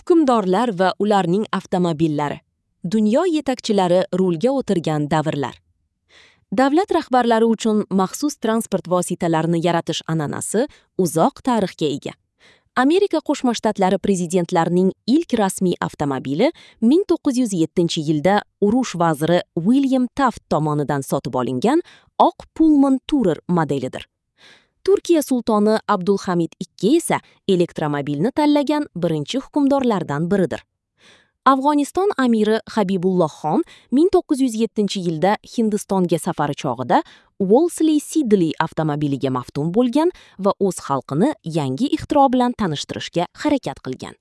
Hukmdorlar va ularning avtomobillari. Dunyo yetakchilari rulga o'tirgan davrlar. Davlat rahbarlari uchun maxsus transport vositalarini yaratish an'anasi uzoq tarixga ega. Amerika Qo'shma Shtatlari prezidentlarining ilk rasmiy avtomobili 1907-yilda urush vaziri William Taft tomonidan sotib olingan oq Pullman Tourer modelidir. Turkiya sultoni Abdulhamid II esa elektromobilni tanlagan birinchi hukmdorlardan biridir. Afg'oniston amiri Habibulloh xon 1907-yilda Hindistonga safari chog'ida Wolseley Sidley avtomobiliga maftun bo'lgan va o'z xalqini yangi ixtiro bilan tanishtirishga harakat qilgan.